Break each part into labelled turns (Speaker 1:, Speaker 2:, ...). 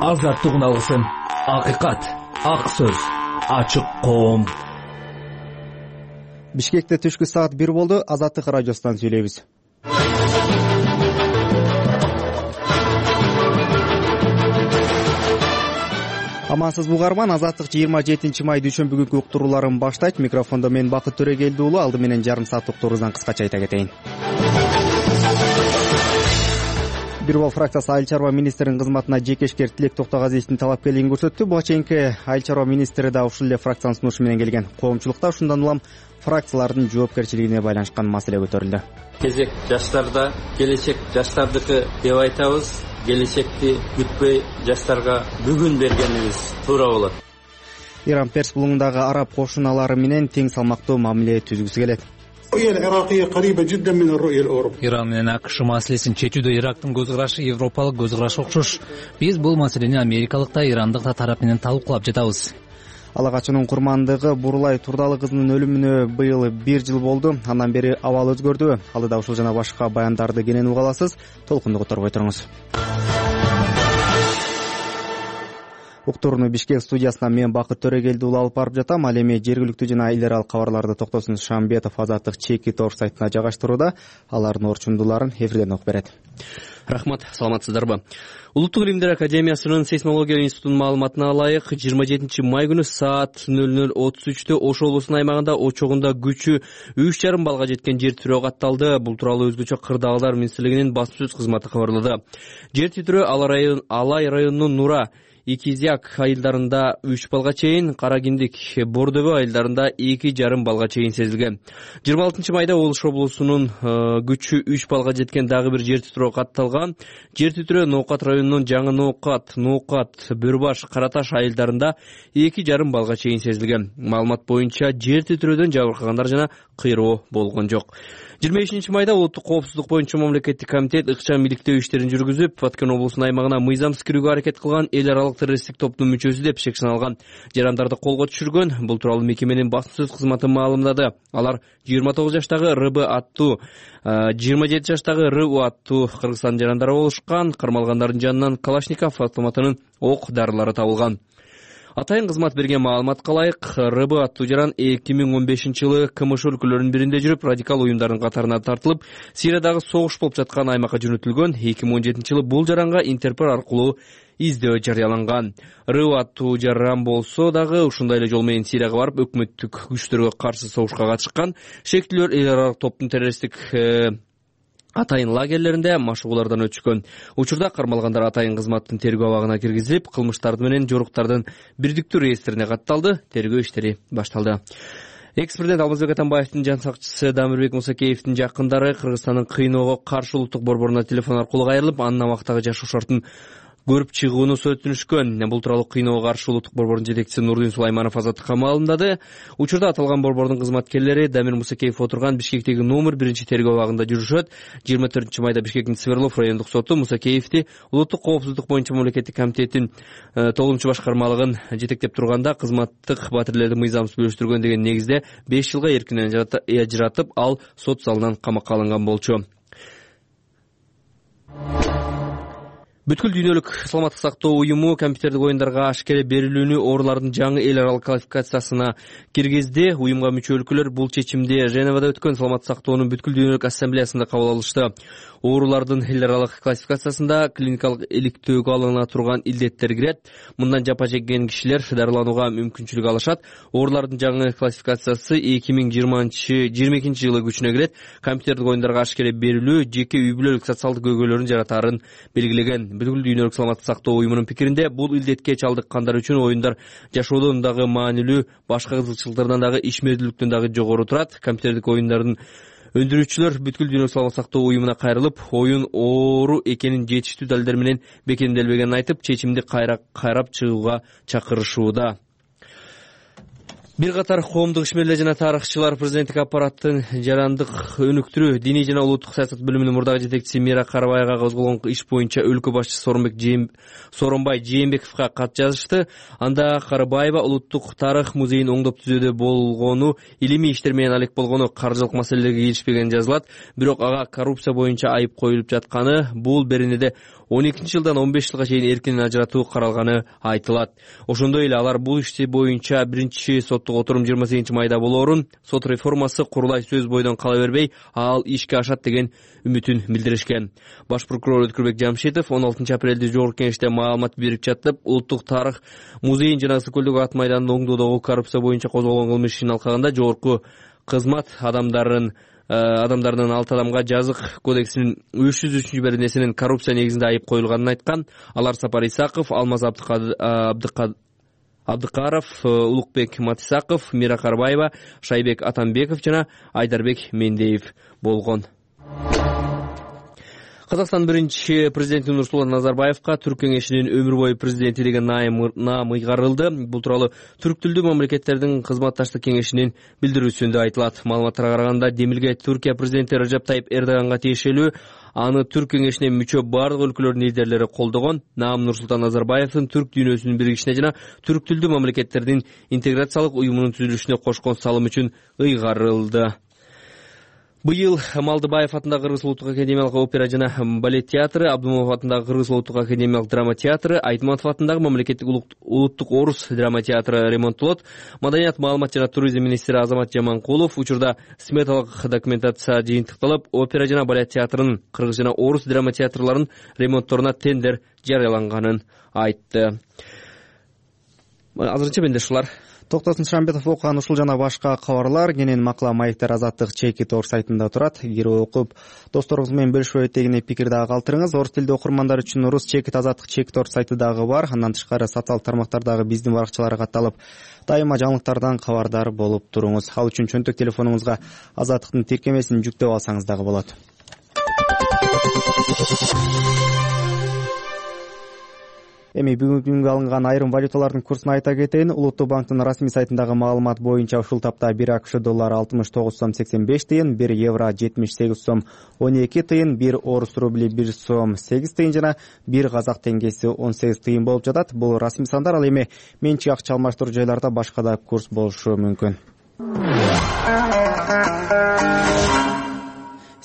Speaker 1: азаттыгын алсын. Акыйкат, ак сөз, ачык коом.
Speaker 2: Бишкекте түшкү саат 1 болду. Азаттык радиосунан сүйлөйбүз. Амансызбы угарман, Азаттык 27 май дүйшөмбү күнкү уктурууларын баштайт. Микрофондо мен Бакыт Төрөгелди уулу. Алды менен жарым саат уктуруубуздан кыскача айта кетейин. Бир бол фракциясы Айыл чарба министринин кызматына жекешкер Тилек Токтогазиевдин талапкерлигин көрсөттү. Буга чейинки Айыл чарба министри да ушул эле фракциянын сунушу менен келген. Коомчулукта ушундан улам фракциялардын жоопкерчилигине байланышкан маселе көтөрүлдү.
Speaker 3: Кезек жаштарда, келечек жаштардыкы деп айтабыз. Келечекти күтпөй жаштарга бүгүн бергенибиз туура болот.
Speaker 2: Иран Перс булуңундагы араб кошуналары менен тең салмактуу мамиле түзгүсү келет.
Speaker 4: Иран менен АКШ маселесин чечүүдө Ирактын көз карашы европалык көз карашка окшош. Биз бул маселени америкалык да, ирандык да тарап менен талкуулап жатабыз.
Speaker 2: Ала качуунун курмандыгы Бурулай Турдалы кызынын өлүмүнө быйыл 1 жыл болду. Андан бери абал өзгөрдүбү? Алдыда ушул жана башка баяндарды кенен уга аласыз. Толкунду которбой туруңуз. Уктурууну Бишкек студиясынан мен Бакыт Төрөгелди уулу алып барып жатам. Ал эми жергиликтүү жана эл аралык кабарларды Токтосун Шамбетов Азаттык чеки тор сайтына жайгаштырууда. Алардын орчундууларын эфирден окуп берет.
Speaker 5: Рахмат, саламатсыздарбы? Улуттук илимдер академиясынын сейсмология институтунун маалыматына ылайык, 27 май күнү саат 00:33 Ош облусунун аймагында очогунда күчү 3,5 балга жеткен жер титирөө катталды. Бул тууралуу өзгөчө Кырдаалдар министрлигинин басма сөз кызматы кабарлады. Жер титирөө Алай районунун Нура, Икизяк айылдарында 3 балга чейин, Каракиндик, Бордобө айылдарында 2,5 балга чейин сезилген. 26 майда Ош облусунун күчү 3 балга жеткен дагы бир жер титирөө катталган. Жер титирөө Ноокат районунун Жаңы Ноокат, Бөрбаш, Караташ айылдарында 2,5 балга чейин сезилген. Маалымат боюнча жер титирөөдөн жабыркагандар жана кыйроо болгон жок. 25 майда улуттук коопсуздук боюнча мамлекеттик комитет ыкчам иликтөө иштерин жүргүзүп, Баткен облусунун аймагына мыйзамсыз кирүүгө аракет кылган эл аралык террористтик топтун мүчөсү деп шек саналган жарандарды колго түшүргөн. Бул тууралуу мекеменин басма сөз кызматы маалымдады. Алар 29 жаштагы РБ аттуу, 27 жаштагы РУ аттуу Кыргызстан жарандары болушкан. Кармалгандардын жанынан Калашников автоматынын ок дарылары табылган. Атайын кызмат берген маалыматка ылайык, РБ аттуу жаран 2015 жылы КМШ өлкөлөрүнүн биринде жүрүп, радикал уюмдардын катарына тартылып, Сириядагы согуш болуп жаткан аймакка жөнөтүлгөн. 2017 жылы бул жаранга Интерпол аркылуу издөө жарыяланган. РУ аттуу жаран болсо дагы ушундай эле жол менен Сирияга барып, өкмөттүк күчтөргө каршы согушка катышкан. Шектүүлөр эл аралык топтун террористтик атайын лагерлеринде машыгуулардан өтүшкөн. Учурда кармалгандар атайын кызматтын тергөө абагына киргизилип, кылмыштарды менен жоруктардын бирдиктүү реестрине катталды. Тергөө иштери башталды. Экс-президент Алмазбек Атамбаевдин жан сакчысы Дамирбек Мусакеевдин жакындары Кыргызстандын кыйноого каршы улуттук борборуна телефон аркылуу кайрылып, анын абактагы жашоо шартын көрүп чыгууну сөзөттүнүшкөн. Бул тууралуу кыйноого каршы улуттук борбордун жетекчиси Нурдин Сулайманов Азаттыкка маалымдады. Учурда аталган борбордун кызматкерлери Дамир Мусакеев отурган Бишкектеги номер 1 тергөө абагында жүрүшөт. 24 майда Бишкектин Сверлов райондук соту Мусакеевди улуттук коопсуздук боюнча мамлекеттик комитеттин 9-башкармалыгын жетектеп турганда кызматтык батирлерди мыйзамсыз бөлүштүргөн деген негизде 5 жылга эркинен ажыратып, ал сот залынан камакка алынган болчу. Бүткүл дүйнөлүк саламаттык сактоо уюму компьютердик оюндарга ашкере берилүүнү оорулардын жаңы эл аралык классификациясына киргизди. Уюмга мүчө өлкөлөр бул чечимди Женевада өткөн саламаттык сактоонун бүткүл дүйнөлүк ассамблеясында кабыл алышты. Оорулардын эл аралык классификациясында клиникалык иликтөөгө алына турган илдеттер кирет. Мындан жапа чеккен кишилер дарыланууга мүмкүнчүлүк алышат. Оорулардын жаңы классификациясы 2022 жылы күчүнө кирет. Компьютердик оюндарга ашкере берилүү жеке үй бүлөлүк социалдык көйгөйлөрүн жаратаарын белгилеген. Бүткүл дүйнөлүк саламаттык сактоо уюмунун пикиринде, бул илдетке чалдыккандар үчүн оюндар жашоодон дагы маанилүү, башка кызыкчылыктардан дагы ишмердүүлүктөн дагы жогору турат. Компьютердик оюндардын өндүрүүчүлөр бүткүл дүйнөлүк саламаттык сактоо уюмуна кайрылып, оюн оору экенин жетиштүү далилдер менен бекемделбегенин айтып, чечимди кайрап чыгууга чакырышууда. Бир катар коомдук ишмерлер жана тарыхчылар президенттик аппараттын жарандык өнүктүрүү, диний жана улуттук саясат бөлүмүнүн мурдагы жетекчиси Мира Карабаевага козголгон иш боюнча өлкө башчысы Сооронбай Жээнбековго кат жазышты. Анда Карабаева улуттук тарых музейин оңдоп түзүүдө болгону, илимий иштер менен алек болгону, каржылык маселелерге киришпегени жазылат. Бирок ага коррупция боюнча айып коюлуп жатканы, бул беренеде 12-жылдан 15 жылга чейин эркинен ажыратуу каралганы айтылат. Ошондой эле алар бул ишти боюнча биринчи соттук отурум 28 майда болоорун, сот реформасы курулай сөз бойдон кала бербей, ал ишке ашат деген үмүтүн билдиришкен. Баш прокурор Өткүрбек Жамшитов 16 апрелде жогорку кеңеште маалымат берип жатып, улуттук тарых музейин жана Ысык көлдөгү ат майданын оңдоодогу коррупция боюнча козголгон кылмыш ишин алкагында жогорку кызмат адамдарынын 6 адамга жазык кодексинин 303-беренесинин коррупция негизинде айып коюлганын айткан. Алар Сапар Исаков, Алмаз Абдыкаров, Улукбек Матисаков, Мира Карабаева, Шайбек Атамбеков жана Айдарбек Мендеев болгон. Казакстан биринчи президенти Нурсултан Назарбаевка Түрк кеңешинин өмүр бою президенти деген наам ыйгарылды. Бул тууралуу түрк тилдүү мамлекеттердин кызматташтык кеңешинин билдирүүсүндө айтылат. Маалыматтарга караганда, Демилге Түркия президенти Режеп Тайип Эрдоганга тиешелүү аны түрк кеңешине мүчө бардык өлкөлөрдүн лидерлери колдогон. Наам Нурсултан Назарбаевдин түрк дүйнөсүнүн биригишине жана түрк тилдүү мамлекеттердин интеграциялык уюмунун түзүлүшүнө кошкон салымы үчүн ыйгарылды. Быйыл Малдыбаев атындагы Кыргыз улуттук академиялык опера жана балет театры, Абдумов атындагы Кыргыз улуттук академиялык драма театры, Айтматов атындагы мамлекеттик улуттук орус драма театры ремонттолот. Маданият, маалымат жана туризм министри Азамат Жаманкулов учурда сметалык документация жыйынтыкталып, опера жана балет театрынын кыргыз жана орус драма театрларынын ремонтторуна тендер жарыяланганын айтты. Азырынча менде ушулар.
Speaker 2: Токтосун Шамбетов окуган ушул жана башка кабарлар кенен макала маектер Азаттык чеки тор сайтында турат. Кирип окуп, досторуңуз менен бөлүшүп деген пикир дагы калтырыңыз. Орус тилдүү окурмандар үчүн рус чеки Азаттык чеки тор сайты дагы бар. Андан тышкары социалдык тармактардагы биздин баракчаларга катталып, дайыма жаңылыктардан кабардар болуп туруңуз. Ал үчүн чөнтөк телефонуңузга Азаттыктын тиркемесин жүктөп алсаңыз дагы болот. Эми бүгүнгү алынган айрым валюталардын курсун айта кетейин. Улуттук банктын расмий сайтындагы маалымат боюнча ушул тапта 1 АКШ доллары 69 сом 85 тыйын, 1 евро 78 сом 12 тыйын, 1 орус рубли 1 сом 8 тыйын жана 1 казак теңгеси 18 тыйын болуп жатат. Бул расмий сандар. Ал эми менчик акча алмаштыруу жайларда башка да курс болушу мүмкүн.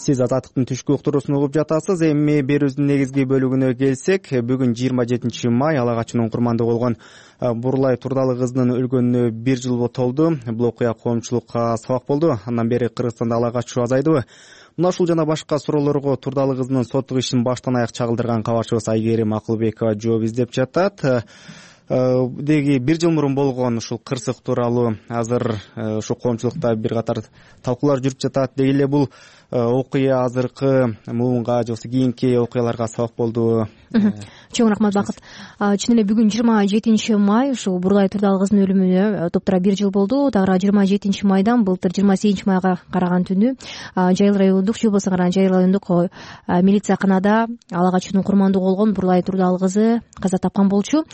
Speaker 2: Сиз Азаттыктын түшкү уктуруусун угуп жатасыз. Эми берүүбүздүн негизги бөлүгүнө келсек, бүгүн 27 май ала качынын курмандыгы болгон Бурлай Турдалы кызынын өлгөнүнө 1 жыл толду. Бул окуя коомчулукка сабак болду. Андан бери Кыргызстанда ала качуу азайдыбы? Мына ушул жана башка суроолорго Турдалы кызынын соттук ишин баштан аяк чагылдырган кабарчыбыз Айгерим Акылбекова жооп издеп жатат. Деги 1 жыл мурун болгон ушул кырсык тууралуу азыр ушу коомчулукта бир катар талкуулар жүрүп жатат. Деги эле бул окуя азыркы муунга же болбосо кийинки окуяларга сабак болду.
Speaker 6: Чоң рахмат, Бакыт. Чын эле бүгүн 27 май ушул Бурлай Турдалы кызынын өлүмүнө топтура 1 жыл болду. Дагы 27 майдан былтыр 28 майга караган түнү Жайыл райондук, же болбосо Жайыл райондук милицияканада ала качуунун курмандыгы болгон Бурлай Турдалы кызы каза тапкан болчу.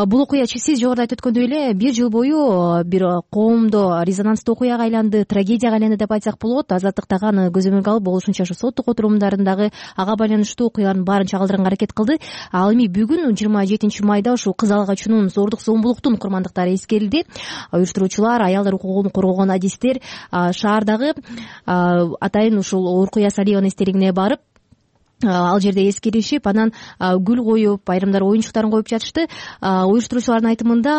Speaker 6: Бул окуя сиз жогоруда айтып өткөндөй эле 1 жыл бою бир коомдо резонанстуу окуяга айланды, трагедияга айланды деп айтсак болот. Азаттык дагы аны көзөмөлгө алып, болушунча ушу соттук отурумдарындагы ага байланыштуу окуялардын баарын чагылдырганга аракет кылды. Ал эми бүгүн 27 майда ушул кыз ала качуунун зордук зомбулуктун курмандыктары эскерилди. Уюштуруучулар, аялдар укугун коргогон адистер шаардагы атайын ушул Уркуя Салиеванын эстелигине барып, ал жерде эскеришип, анан гүл коюп, айрымдар оюнчуктарын коюп жатышты. Уюштуруучулардын айтымында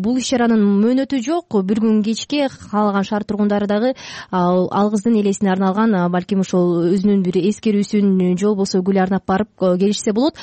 Speaker 6: бул иш-чаранын мөөнөтү жок. Bir күн кечке каалаган шаар тургундары дагы ал кыздын элесине арналган балким ошол өзүнүн бир эскерүүсүн же болбосо гүл арнап барып келишсе болот.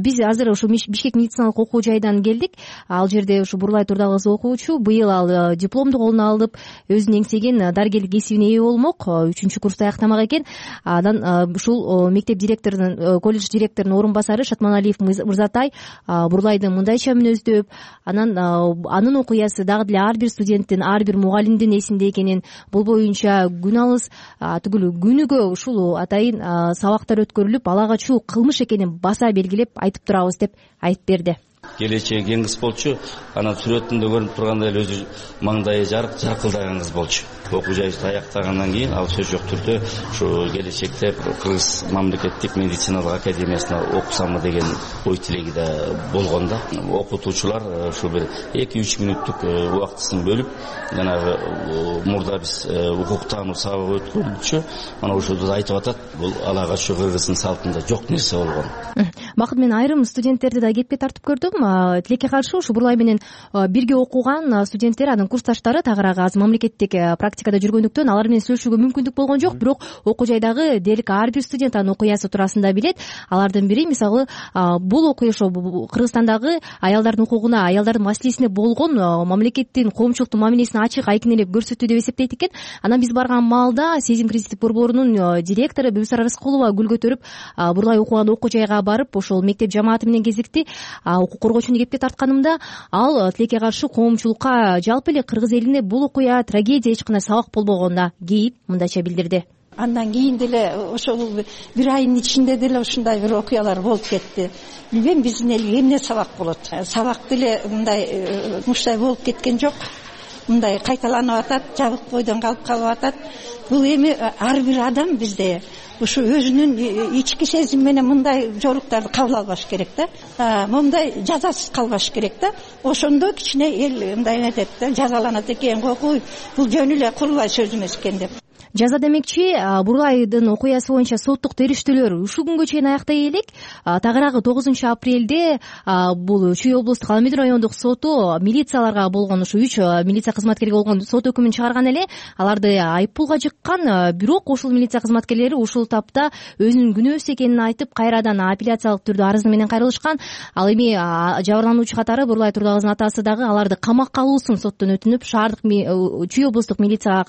Speaker 6: Биз азыр ушул Бишкек медициналык окуу жайдан келдик. Ал жерде ушу Бурлай Турдалы кызы окуучу. Быйыл ал дипломду колуна алып, өзүнүн эңсеген дарыгерлик кесибине ээ болмок. 3-курсту аяктамак экен. Андан ушул мектеп директору, колледж директорунун орун басары Шатманалиев Мырзатай Бурлайды мындайча мүнөздөп, анын окуясы дагы деле ар бир студенттин, ар бир мугалимдин эсинде экенин, бул боюнча күн алыс түгүл күнүгө ушул атайын сабактар өткөрүлүп, ала качуу кылмыш экенин баса белгилеп айтып турабыз деп айтып берди.
Speaker 7: келечеги кең кыз болчу. Анан сүрөтүндө көрүнүп тургандай эле өзү маңдайы жаркылдаган кыз болчу. Окуу жайыбызды аяктагандан кийин ал сөз жок түрдө ушу келечекте Кыргыз мамлекеттик медициналык академиясына окусамбы деген ой тилеги да болгон да. Окутуучулар ушу бир 2-3 мүнөттүк убактысын бөлүп, жанагы мурда биз укуктануу сабагы өткөрүлчү. Мана ошол айтып атат, бул ала качуу Кыргыздын салтында жок нерсе болгон.
Speaker 6: Бакыт, мен айрым студенттерди да кепке тартып көрдүм. Тилекке каршы ушу Бурлай менен бирге окуган студенттер, анын курсташтары тагыраагы азыр мамлекеттик практикада жүргөндүктөн алар менен сүйлөшүүгө мүмкүндүк болгон жок. Бирок окуу жайдагы дээрлик ар бир студент анын окуясы туурасында билет. Алардын бири мисалы бул окуя ошо Кыргызстандагы аялдардын укугуна, аялдардын маселесине болгон мамлекеттин коомчулуктун мамилесин ачык айкын эле көрсөтүү деп эсептейт экен. Анан биз барган маалда Сезим кредиттик борборунун директору Бүбүсара Рыскулова гүл көтөрүп Бурлай окуган окуу жайга барып, ошол мектеп жамааты менен кезекти укук коргоочуну кепке тартканымда ал тилекке каршы коомчулукка, жалпы эле Кыргыз элине бул окуя трагедия, эч кандай сабак болбогонуна кейип мындайча билдирди.
Speaker 8: Андан кийин деле ошол бир айдын ичинде деле ушундай бир окуялар болуп кетти. Билбейм биздин элге эмне сабак болот. Сабак деле мындай болуп кеткен жок. Мындай кайталанып атат, жабык бойдон калып атат. Бул эми ар бир адам бизде ушу өзүнүн ички сезими менен мындай жоруктарды кабыл албаш керек да. Мындай жазасыз калбаш керек да. Ошондо кичине эл мындай нетет да, жазаланат экен, кокуй, бул жөн эле курулай сөз эмес экен деп.
Speaker 6: Жаза демекчи, Бурлайдын окуясы боюнча соттук териштөөлөр ушул күнгө чейин аяктай элек. Тагыраагы 9-апрелде бул Чүй облустук Алмедин райондук соту милицияларга болгон, ушу 3 милиция кызматкерге болгон сот өкүмүн чыгарган эле. Аларды айыппулга жыккан, бирок ошол милиция кызматкерлери ушул тапта өзүнүн күнөөсү экенин айтып, кайрадан апелляциялык түрдө арызы менен кайрылышкан. Ал эми жабырлануучу катары Бурлай Турдагыздын атасы дагы аларды камакка алуусун соттон өтүнүп, шаардык Чүй облустук милиция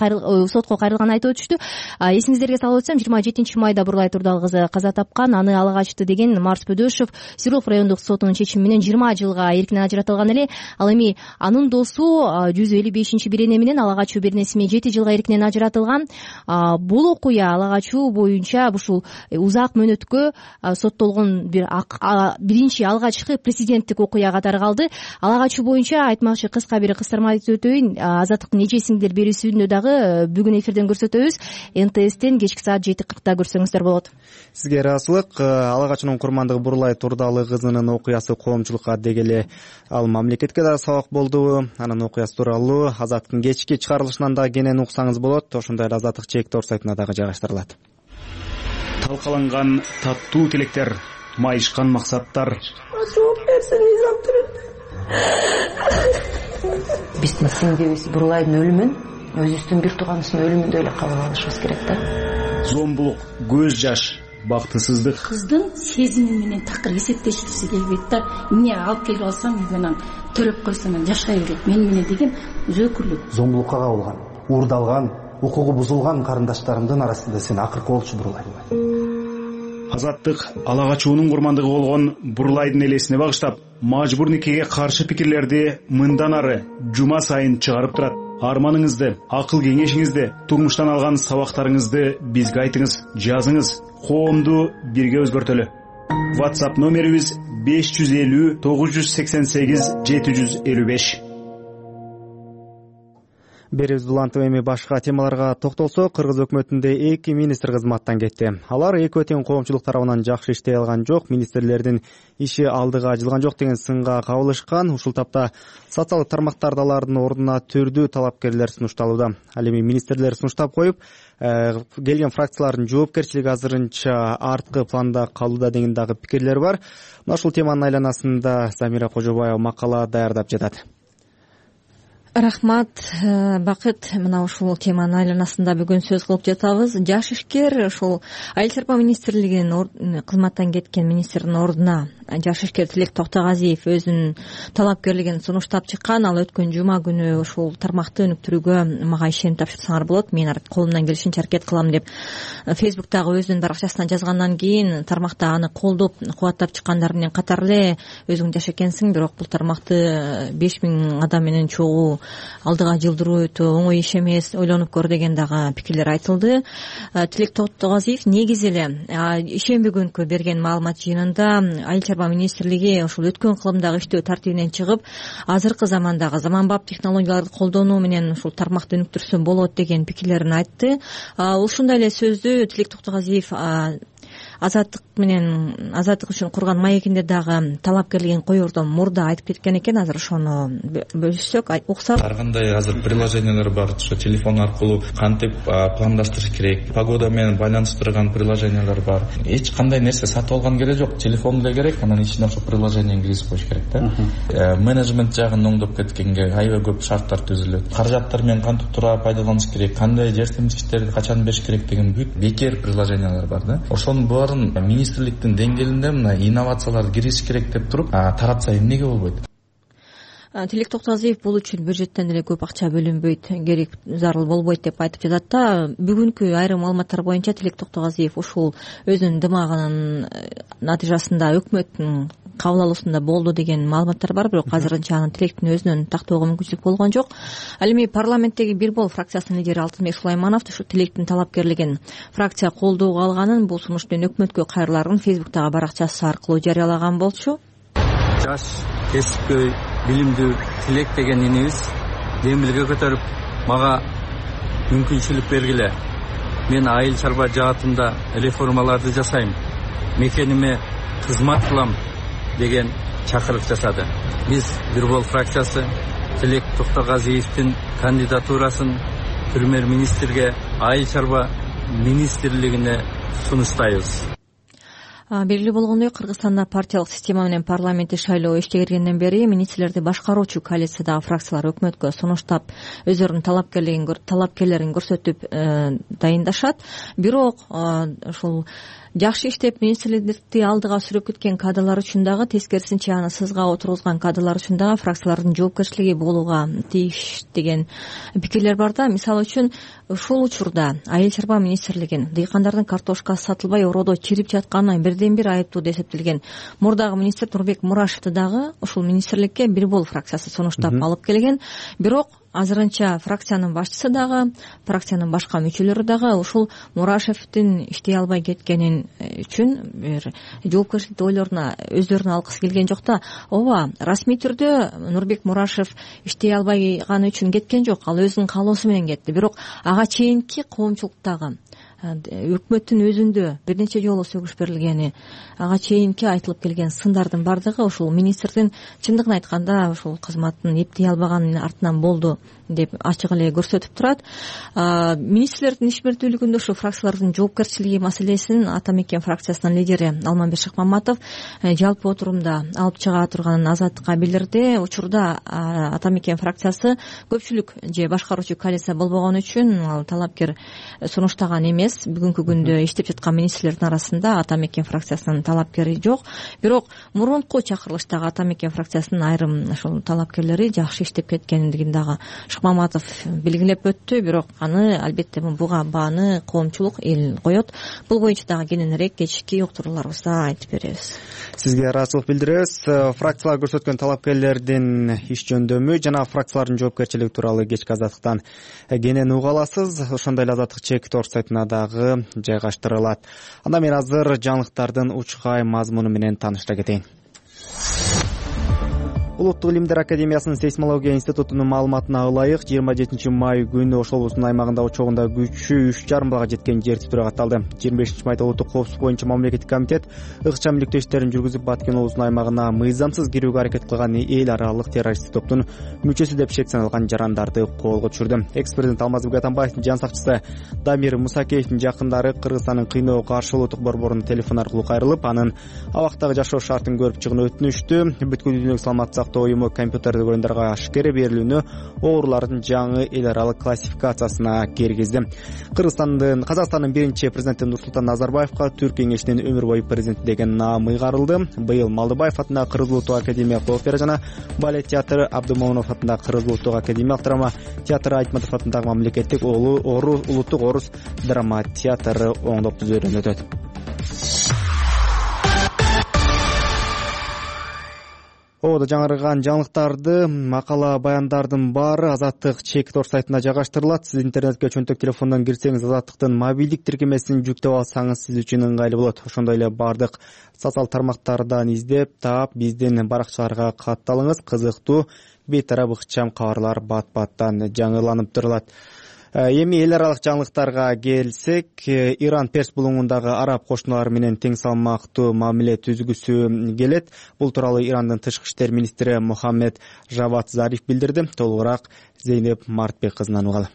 Speaker 6: сотко кайрылганын айтып өтүштү. Эсиңиздерге салып өтсөм, 27-майда Бурлай Турдагы кызы каза тапкан. Аны ала качты деген Марс Бөдөшов Свердлов райондук сотунун чечими менен 20 жылга эркинен ажыратылган эле. Ал эми анын досу 155-бирене менен ала качуу беренесине 7 жылга эркинен ажыратылган. Бул окуя ала качуу боюнча ушул узак мөөнөткө соттолгон биринчи алгачкы президенттик окуя катары калды. Ала качуу боюнча айтмакчы кыска бир кыстырма айтып өтөйүн. Азаттыктын эжесиңдер берүүсүндө дагы бүгүн эфирден көрсөтөбүз. НТСтен кечки саат 7:40 көрсөңүздөр болот.
Speaker 2: Сизге ыраазычылык. Ала качуунун курмандыгы Бурлай Турдалы кызынын окуясы коомчулукка дегеле ал мамлекетке да сабак болду. Анын окуясы тууралуу Азаттыктын кечки чыгарылышынан да кенен уксаңыз болот. Ошондой эле Азаттык чек-тор сайтына дагы жайгаштырылат.
Speaker 9: Талкаланган таттуу тилектер, майышкан максаттар.
Speaker 10: Жооп берсин, биздин сиңдибиз Бурлайдын өлүмүн өзүбүздүн бир тууганыбыздын өлүмүндөй эле кабыл алышыбыз керек да.
Speaker 9: Зомбулук, көз жаш, бактысыздык.
Speaker 11: Кыздын сезими менен такыр эсептешкиси келбейт да. Эмне алып келип алсам, мен төлөп койсом жашай берет мени менен деген өзөкүрлүк.
Speaker 12: Зомбулукка кабылган, уурдалган, укугу бузулган карындаштарымдын арасында сен акыркы болчу Бурлай.
Speaker 9: Азаттык ала качуунун курмандыгы болгон Бурлайдын элесине багыштап, мажбур никеге каршы пикирлерди мындан ары жума сайын чыгарып турат. Арманыңызды, акыл кеңешиңизди, турмуштан алган сабактарыңызды бизге айтыңыз, жазыңыз, коомду бирге өзгөртөлү. WhatsApp номерибиз 550 988 755.
Speaker 2: Беребиз улантып эми башка темаларга токтолсок, Кыргыз өкмөтүндө 2 министр кызматтан кетти. Алар экөө тең коомчулук тарабынан жакшы иштей алган жок, министрлердин иши алдыга жылган жок деген сынга кабылышкан. Ушул тапта социалдык тармактарда алардын ордуна түрдүү талапкерлер сунушталууда. Ал эми министрлер сунуштап коюп, келген фракциялардын жоопкерчилиги азырынча арткы планда калууда деген дагы пикирлер бар. Мына ушул теманын айланасында Замира Кожобаева макала даярдап жатат.
Speaker 13: Рахмат, Бакыт. Мына ушул теманын айланасында бүгүн сөз кылып жатабыз. Жаш ишкер ушул Айыл чарба министрлигинин кызматтан кеткен министрдин ордуна жаш ишкер Тилек Токтогазиев өзүнүн талапкерлигин сунуштап чыккан. Ал өткөн жума күнү ушул тармакты өнүктүрүүгө мага ишенип тапшырсаңар болот, мен колумдан келишинче аракет кылам деп Фейсбуктагы өзүнүн баракчасынан жазгандан кийин тармакта аны колдоп кубаттап чыккандар менен катар эле өзүң жаш экенсиң, бирок бул тармакты 5000 адам менен чогуу алдыга жылдыруу өтө оңой иш эмес, ойлонуп көр деген дагы пикирлер айтылды. Тилек Токтогазиев негизи эле ишемби күнкү берген маалымат жыйынында Айыл чарба министрлиги ушул өткөн кылымдагы иштөө тартибинен чыгып, азыркы замандагы заманбап технологияларды колдонуу менен ушул тармакты өнүктүрсө болот деген пикирлерин айтты. Ушундай эле сөздү Тилек Токтогазиев Азаттык үчүн курган маегинде дагы талапкерлигин коердон мурда айтып кеткен экен. Азыр ошону бөлүшсөк, уксак.
Speaker 14: Ар кандай азыр приложениялар бар, ошо телефон аркылуу кантип пландаштырыш керек, погода менен байланыштырган приложениялар бар. Эч кандай нерсе сатып алган кереги жок, телефон эле керек, анан ичине ошо приложениени киргизип коюш керек да. Менеджмент жагын оңдоп кеткенге аябай көп шарттар түзүлөт. Каражаттар менен кантип туура пайдаланыш керек, кандай жер темизгичтерди качан бериш керек деген бүт бекер приложениялар бар да. Ошонун баарын министрликтин деңгээлинде мына инновацияларды киргизиш керек деп туруп таратса эмнеге болбойт?
Speaker 13: Тилек Токтогазиев бул үчүн бюджеттен деле көп акча бөлүнбөйт, керек зарыл болбойт деп айтып жатат да. Бүгүнкү айрым маалыматтар боюнча Тилек Токтогазиев ушул өзүнүн дымагынын натыйжасында өкмөттүн кабыл алуусунда болду деген маалыматтар бар, бирок азырынча анын Тилектин өзүнөн тактоого мүмкүнчүлүк болгон жок. Ал эми парламенттеги Бир бол фракциясынын лидери Алтынбек Сулайманов ушу Тилектин талапкерлигин фракция колдоого алганын, бул сунуш менен өкмөткө кайрыларын Фейсбуктагы баракчасы аркылуу жарыялаган болчу.
Speaker 3: Жаш, кесипкөй, билимдүү Тилек деген инибиз демилге көтөрүп, мага мүмкүнчүлүк бергиле. Мен айыл чарба жаатында реформаларды жасайм, мекениме кызмат кылам деген чакырык жасады. Биз Бир бол фракциясы Тилек Токтогазиевдин кандидатурасын премьер-министрге айыл чарба министрлигине сунуштайбыз.
Speaker 13: Белгилүү болгондой, Кыргызстанда партиялык система менен парламенттик шайлоо ишке киргенден бери министрлерди башкаруучу коалициядагы фракциялар өкмөткө сунуштап, өзүлөрүнүн талапкерлерин көрсөтүп дайындашат. Бирок ушул жакшы иштеп министрликти алдыга сүрөп кеткен кадрлар үчүн дагы, тескерисинче аны сызга отургузган кадрлар үчүн дагы фракциялардын жоопкерчилиги болууга тийиш деген пикирлер бар да. Мисалы үчүн, ушул учурда айыл чарба министрлигин дыйкандардын картошкасы сатылбай ороодо чирип жатканына бирден бир айыптуу деп эсептелген мурдагы министр Нурбек Мурашевди дагы ушул министрликке Бир бол фракциясы сунуштап алып келген. Бирок азырынча фракциянын башчысы дагы, фракциянын башка мүчөлөрү дагы ушул Мурашевдин иштей албай кеткенин үчүн бир жоопкерчиликти өздөрүнө алгысы келген жок да. Ооба, расмий түрдө Нурбек Мурашев иштей албаганы үчүн кеткен жок, ал өзүнүн каалоосу менен кетти. Бирок ага чейинки коомчулуктагы өкмөттүн өзүндө бир нече жолу сөгүш берилгени, ага чейинки айтылып келген сындардын бардыгы ушул министрдин чындыгын айтканда ушул кызматын эптей албаганын артынан болду деп ачык эле көрсөтүп турат. Министрлердин ишмердүүлүгүндө ушу фракциялардын жоопкерчилиги маселесин Ата Мекен фракциясынын лидери Алмамбет Шыкмаматов жалпы отурумда алып чыга турганын Азаттыкка билдирди. Учурда Ата Мекен фракциясы көпчүлүк же башкаруучу коалиция болбогон үчүн ал талапкер сунуштаган эмес. Бүгүнкү күндө иштеп жаткан министрлердин арасында Ата Мекен фракциясынын талапкери жок. Бирок мурунку чакырылыштагы Ата Мекен фракциясынын айрым ушул талапкерлери жакшы иштеп кеткендигин дагы Шыкмаматов белгилеп өттү. Бирок аны албетте буга бааны коомчулук эл коет. Бул боюнча дагы кийинирээк кечки уктурууларыбызда айтып беребиз.
Speaker 2: Сизге ыраазычылык билдиребиз. Фракциялар көрсөткөн талапкерлердин иш жөндөмү жана фракциялардын жоопкерчилиги тууралуу кечки Азаттыктан кенен уга аласыз. Ошондой эле Азаттык чек тор сайтына дагы жайгаштырылат. Анда мен азыр жаңылыктардын учкай мазмуну менен таанышта кетейин. Улуттук илимдер академиясынын сейсмология институтунун маалыматына ылайык 27 май күнү Ош облусунун аймагында учогунда күчү 3,5 балга жеткен жер титирөө катталды. 25 майда улуттук коопсуздук боюнча мамлекеттик комитет ыкчам иликтөө иштерин жүргүзүп, Баткен облусунун аймагына мыйзамсыз кирүүгө аракет кылган эл аралык террористтик топтун мүчөсү деп шек саналган жарандарды колго түшүрдү. Экс-президент Алмазбек Атамбаевдин жан сакчысы Дамир Мусакеевдин жакындары Кыргызстандын кыйноого каршы улуттук борборунун телефон аркылуу кайрылып, анын абактагы жашоо шартын көрүп чыгууну өтүнүштү. Бүткүл дүйнөлүк саламаттык сактоо уюму компьютердик оюндарга ашкере берилүүнү оорулардын жаңы эл аралык классификациясына киргизди. Казакстандын биринчи президенти Нурсултан Назарбаевка Түрк кеңешинин өмүр бою президенти деген наам ыйгарылды. Быйыл Малдыбаев атындагы Кыргыз улуттук академиялык опера жана балет театры, Абдымомунов атындагы Кыргыз улуттук академиялык драма театры, Айтматов атындагы мамлекеттик улуттук орус драма театры оңдоп түзүүдөн өтөт. Ободо жаңырган жаңылыктарды, макала, баяндардын баары Азаттык Чекитор сайтына жайгаштырылат. Сиз интернетке чөнтөк телефондон кирсеңиз, Азаттыктын мобилдик тиркемесин жүктөп алсаңыз сиз үчүн ыңгайлуу болот. Ошондой эле бардык социал тармактардан издеп таап, биздин баракчаларга катталыңыз. Кызыктуу, бейтарап ыкчам кабарлар бат-баттан жаңыланып турулат. Эми эл аралык жаңылыктарга келсек, Иран Перс булуңундагы араб кошуналары менен тең салмактуу мамиле түзгүсү келет. Бул тууралуу Ирандын тышкы иштер министри Мухаммед Жавад Зариф билдирди. Толугураак Зейнеп Мартбек кызынан угалы.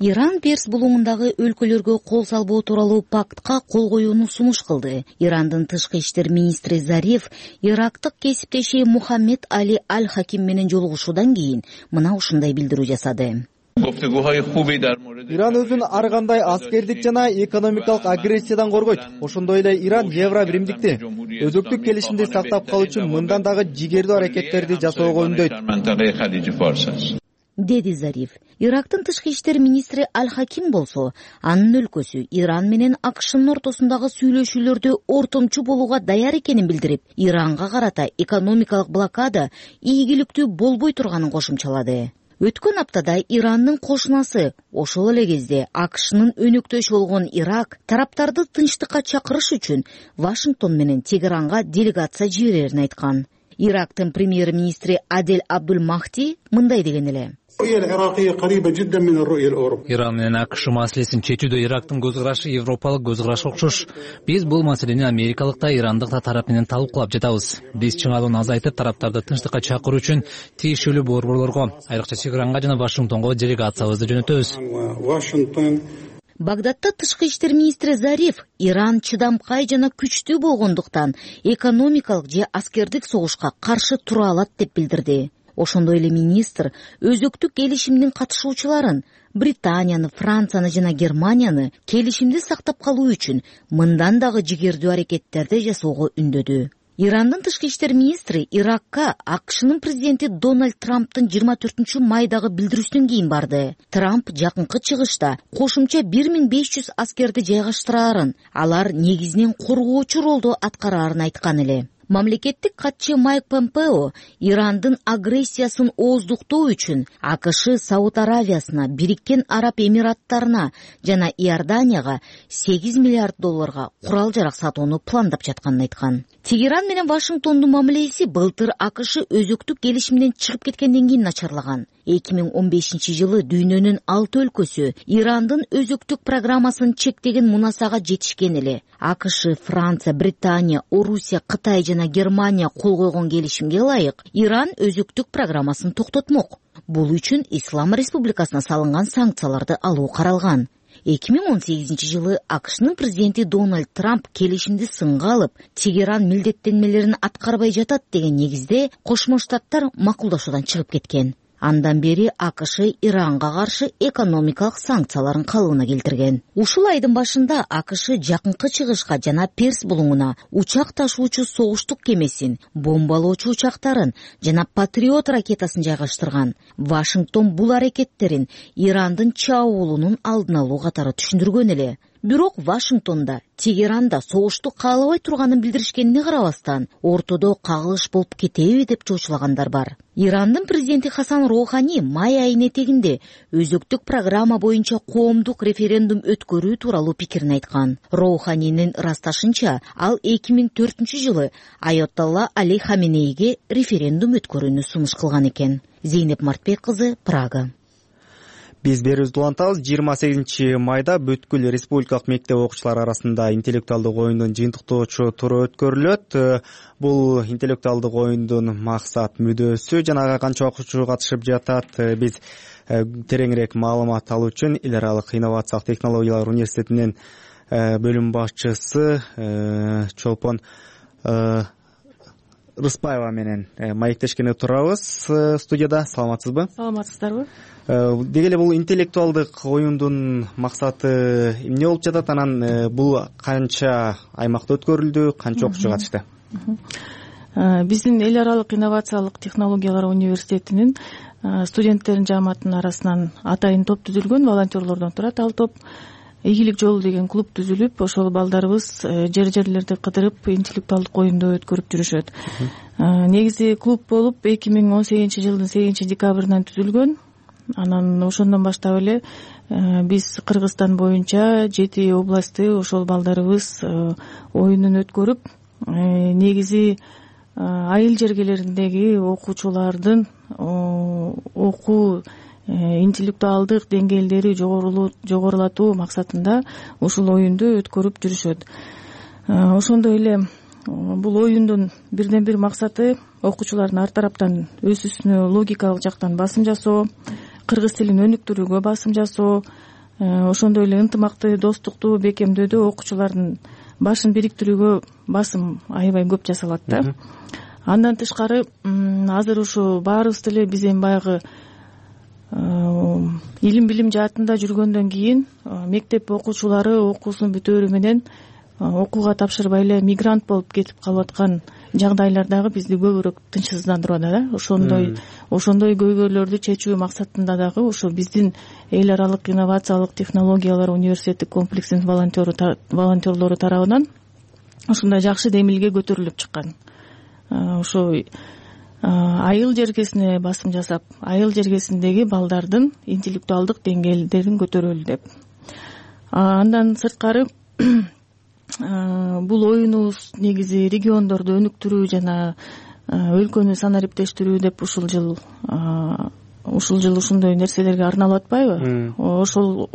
Speaker 15: Иран Перс булуңундагы өлкөлөргө кол салбоо тууралуу пактка кол коюуну сунуш кылды. Ирандын тышкы иштер министри Зариф ирактык кесиптеши Мухаммед Али Аль-Хаким менен жолугушуудан кийин мына ушундай билдирүү жасады.
Speaker 2: Иран өзүн ар кандай аскердик жана экономикалык агрессиядан коргойт. Ошондой эле Иран Евробиримдикти, өзөктүк келишимди сактап калуу үчүн мындан дагы жигердүү аракеттерди жасоого үндөйт,
Speaker 15: деди Зариф. Ирактын тышкы иштер министри Аль-Хаким болсо, анын өлкөсү Иран менен АКШнын ортосундагы сүйлөшүүлөрдө ортомчу болууга даяр экенин билдирип, Иранга карата экономикалык блокада ийгиликтүү болбой турганын кошумчалады. Өткөн аптада Ирандын кошунасы, ошол эле кезде АКШнын өнөктөшү болгон Ирак тараптарды тынчтыкка чакырыш үчүн Вашингтон менен Тегеранга делегация жиберерин айткан. Ирактын премьер-министри Адель Абдул Махди мындай деген эле.
Speaker 4: Иран менен АКШ маселесин чечүүдө Ирактын көз карашы европалык көз карашка окшош. Биз бул маселени америкалык да, ирандык да тарап менен талкуулап жатабыз. Биз чыңалууну азайтып, тараптарды тынчтыкка чакыруу үчүн тийиштүү борборлорго, айрыкча Тегеранга жана Вашингтонго делегациябызды жөнөтөбүз.
Speaker 15: Багдадта тышкы иштер министри Зариф Иран чыдамкай жана күчтүү болгондуктан экономикалык же аскердик согушка каршы тура алат деп билдирди. Ошондой эле министр өзөктүк келишимдин катышуучуларын Британияны, Францияны жана Германияны келишимди сактап калуу үчүн мындан дагы жигердүү аракеттерди жасоого үндөдү. Ирандын тышкы иштер министри Иракка АКШнын президенти Дональд Трамптын 24 майдагы билдирүүсүнөн кийин барды. Трамп жакынкы чыгышта кошумча 1500 аскерди жайгаштырарын, алар негизинен коргоочу ролду аткарарын айткан эле. Мамлекеттик катчы Майк Помпео Ирандын агрессиясын ооздуктоо үчүн АКШ Сауд Аравиясына, Бириккен Араб Эмираттарына жана Иорданияга $8 миллиард курал-жарак сатууну пландап жатканын айткан. Тегеран менен Вашингтондун мамилеси былтыр АКШ өзөктүк келишимден чыгып кеткенден кийин начарлаган. 2015 жылы дүйнөнүн 6 өлкөсү Ирандын өзөктүк программасын чектеген мунасага жетишкен эле. АКШ, Франция, Британия, Орусия, Кытай жана Германия кол койгон келишимге ылайык Иран өзөктүк программасын токтотмок. Бул үчүн Ислам Республикасына салынган санкцияларды алуу каралган. 2018 жылы АКШнын президенти Дональд Трамп келишимди сынга алып, Тегеран милдеттенмелерин аткарбай жатат деген негизде Кошмо Штаттар макулдашуудан чыгып кеткен. Андан бери АКШ Иранга каршы экономикалык санкцияларын калыбына келтирген. Ушул айдын башында АКШ жакынкы чыгышка жана Перс булуңуна учак ташуучу согуштук кемесин, бомбалоочу учактарын жана Патриот ракетасын жайгаштырган. Вашингтон бул аракеттерин Ирандын чабуулунун алдын алуу катары түшүндүргөн эле. Бирок Вашингтонда, Тегеранда согушту каалабай турганын билдиришкенине карабастан, ортодо кагылыш болуп кетеби деп чоочулагандар бар. Ирандын президенти Хасан Роухани май айынын этегинде өзөктүк программа боюнча коомдук референдум өткөрүү тууралуу пикирин айткан. Роуханинин ырасташынча, ал 2004 жылы Айатолла Али Хаменейге референдум өткөрүүнү сунуш кылган экен. Зейнеп Мартбек кызы, Прага.
Speaker 2: Биз берүүбүздү улантабыз. 28 майда бүткүл республикалык мектеп окуучулары арасында интеллектуалдык оюндун жыйынтыктоочу туру өткөрүлөт. Бул интеллектуалдык оюндун максат мүдөөсү жана ага канча окуучу катышып жатат. Биз тереңирээк маалымат алуу үчүн эл аралык инновациялык технологиялар университетинин бөлүм башчысы Чолпон Рыспаева менен маектешкени турабыз студияда. Саламатсызбы?
Speaker 16: Саламатсыздарбы?
Speaker 2: Деги эле бул интеллектуалдык оюндун максаты эмне болуп жатат? Анан бул канча аймакта өткөрүлдү, канча окуучу катышты?
Speaker 16: Биздин эл аралык инновациялык технологиялар университетинин студенттердин жааматынын арасынан атайын топ түзүлгөн, волонтерлордон турат ал топ. ийгилик жолу деген клуб түзүлүп, ошол балдарыбыз жерлерди кыдырып интеллектуалдык оюнду өткөрүп жүрүшөт. Негизи клуб болуп 2018 жылдын 8 декабрынан түзүлгөн. Анан ошондон баштап эле биз Кыргызстан боюнча 7 областты ошол балдарыбыз оюнун өткөрүп, негизи айыл жергелериндеги окуучулардын окуу интеллектуалдык деңгээлдери жогорулатуу максатында ушул оюнду өткөрүп жүрүшөт. Ошондой эле бул оюндун бирден бир максаты окуучулардын ар тараптан өз үстүнө логикалык жактан басым жасоо, кыргыз тилин өнүктүрүүгө басым жасоо, ошондой эле ынтымакты, достукту бекемдөөдө окуучулардын башын бириктирүүгө басым аябай көп жасалат да. Андан тышкары азыр ушу баарыбыз деле биз эми баягы илим билим жаатында жүргөндөн кийин мектеп окуучулары окуусун бүтөөрү менен окууга тапшырбай эле мигрант болуп кетип калып аткан жагдайлар дагы бизди көбүрөөк тынчсыздандырып атат. Ошондой көйгөйлөрдү чечүү максатында дагы ошо биздин эл аралык инновациялык технологиялар университеттик комплексинин волонтерлору тарабынан ушундай жакшы демилге көтөрүлүп чыккан. Ошо айыл жергесине басым жасап, айыл жергесиндеги балдардын интеллектуалдык деңгээлдерин көтөрөлү деп. Андан сырткары бул оюнубуз негизи региондорду өнүктүрүү жана өлкөнү санариптештирүү деп ушул жыл ушундай нерселерге арналып атпайбы? Ошол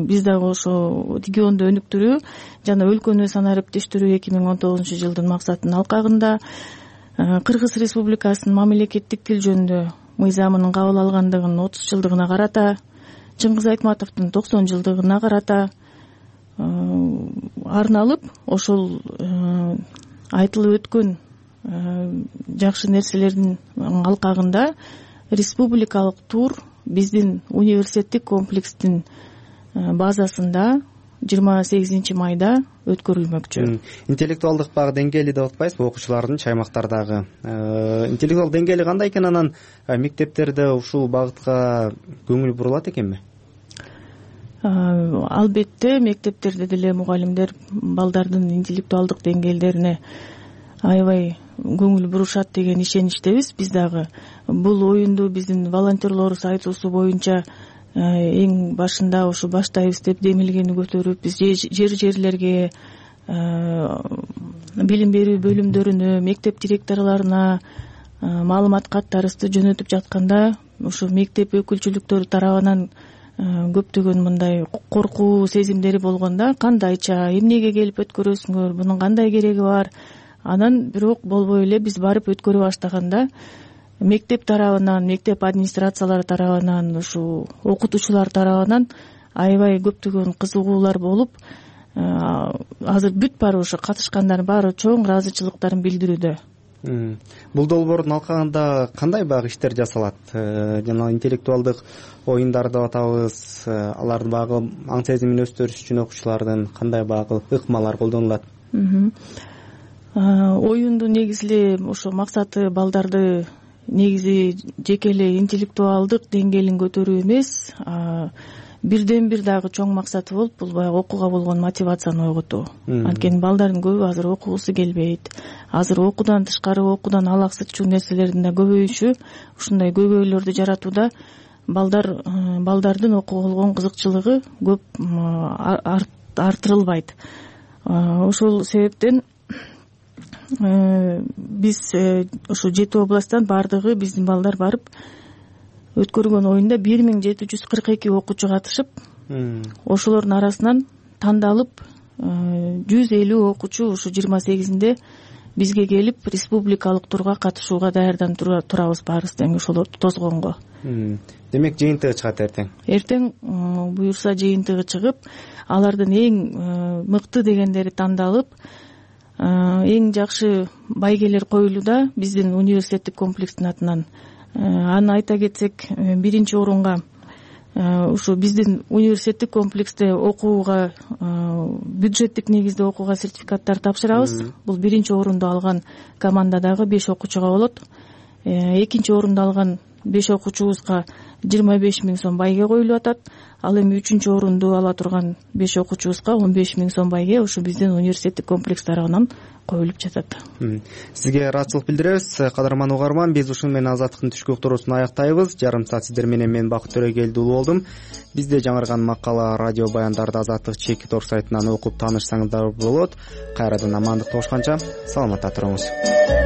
Speaker 16: биз дагы ошо регионду өнүктүрүү жана өлкөнү санариптештирүү 2019 жылдын максатынын алкагында Кыргыз Республикасынын мамлекеттик тил жөнүндө мыйзамынын кабыл алгандыгынын 30 жылдыгына карата, Чыңгыз Айтматовдун 90 жылдыгына карата арналып, ошол айтылып өткөн жакшы нерселердин алкагында республикалык тур биздин университеттик комплекстин базасында 28 майда өткөрүлмөкчү.
Speaker 2: Интеллектуалдык багы деңгээли деп атпайсызбы окуучулардын чаймактардагы? Интеллектуалдык деңгээли кандай экен? Анан мектептерде ушул багытка көңүл бурулат экенби?
Speaker 16: Албетте мектептерде деле мугалимдер балдардын интеллектуалдык деңгээлдерине аябай көңүл бурушат деген ишеничтебиз. Биз дагы бул оюнду биздин волонтерлорубуз айтуусу боюнча эң башында ушу баштайбыз деп демилгени көтөрүп, биз жерлерге, билим берүү бөлүмдөрүнө, мектеп директорлоруна маалымат каттарыбызды жөнөтүп жатканда, ушу мектеп өкүлчүлүктөрү тарабынан көптөгөн мындай коркуу сезимдери болгондо, кандайча, эмнеге келип өткөрөсүңөр, мунун кандай кереги бар? Анан бирок болбой эле биз барып өткөрө баштаганда мектеп тарабынан, мектеп администрациялары тарабынан, ушу окутуучулар тарабынан аябай көптөгөн кызыгуулар болуп, азыр бүт баары ошо катышкандардын баары чоң ыраазычылыктарын билдирүүдө.
Speaker 2: Бул долбоордун алкагында кандай багы иштер жасалат? Жана интеллектуалдык оюндар деп атабыз, алардын багы аң сезимин өстүрүш үчүн окуучулардын кандай багы ыкмалар колдонулат?
Speaker 16: Оюндун негизи эле ошо максаты балдарды негизи жеке эле интеллектуалдык деңгээлин көтөрүү эмес, бирден бир дагы чоң максаты болуп, бул баягы окууга болгон мотивацияны ойготуу. Анткени балдардын көбү азыр окугусу келбейт. Азыр окуудан тышкары, окуудан алаксытчу нерселердин да көбөйүшү ушундай көйгөйлөрдү жаратууда балдардын окууга болгон кызыкчылыгы көп артырылбайт. Ошол себептен биз ошо 7 областтан баардыгы биздин балдар барып өткөргөн оюнда 1742 окуучу катышып, ошолордун арасынан тандалып 150 окуучу ушу 28-инде бизге келип республикалык турга катышууга даярданып турабыз баарыбыз тең ошолорду тосгонго.
Speaker 2: Демек жыйынтыгы чыгат эртең?
Speaker 16: Эртең буюрса жыйынтыгы чыгып, алардын эң мыкты дегендери тандалып, эң жакшы байгелер коюлууда биздин университеттик комплекстин атынан. Аны айта кетсек, биринчи орунга ушу биздин университеттик комплексте окууга, бюджеттик негизде окууга сертификаттар тапшырабыз. Бул биринчи орунду алган командадагы 5 окуучуга болот. Экинчи орунду алган 5 окуучубузга 25 000 сом байге коюлуп атат. Ал эми 3-орунду ала турган 5 окуучубузга 15 000 сом байге ушу биздин университеттик комплекс тарабынан коюлуп жатат.
Speaker 2: Сизге ыраазычылык билдиребиз. Кадырман угарман, биз ушуну менен Азаттыктын түшкү уктуруусун аяктайбыз. Жарым саат сиздер менен мен Бакыт Төрөгелди уулу болдум. Бизде жаңырган макала, радио баяндарды Азаттык чеки тор сайтынан окуп таанышсаңыздар болот. Кайрадан амандыкта болушканча саламатта туруңуз.